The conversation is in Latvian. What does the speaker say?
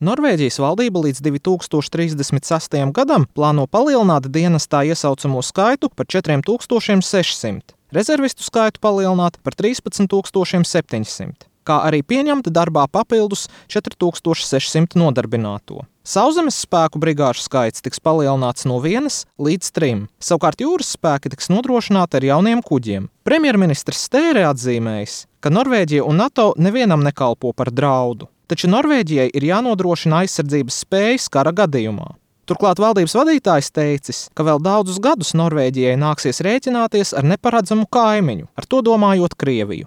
Norvēģijas valdība līdz 2036. gadam plāno palielināt dienestā iesaucamo skaitu par 4600, rezervistu skaitu palielināt par 13700, kā arī pieņemt darbā papildus 4600 nodarbināto. Sauszemes spēku brigāžu skaits tiks palielināts no 1 līdz 3, savukārt jūras spēki tiks nodrošināti ar jauniem kuģiem. Premjerministrs Støre atzīmējis, ka Norvēģija un NATO nevienam nekalpo par draudu, taču Norvēģijai ir jānodrošina aizsardzības spējas kara gadījumā. Turklāt valdības vadītājs teicis, ka vēl daudzus gadus Norvēģijai nāksies rēķināties ar neparedzamu kaimiņu, ar to domājot Krieviju.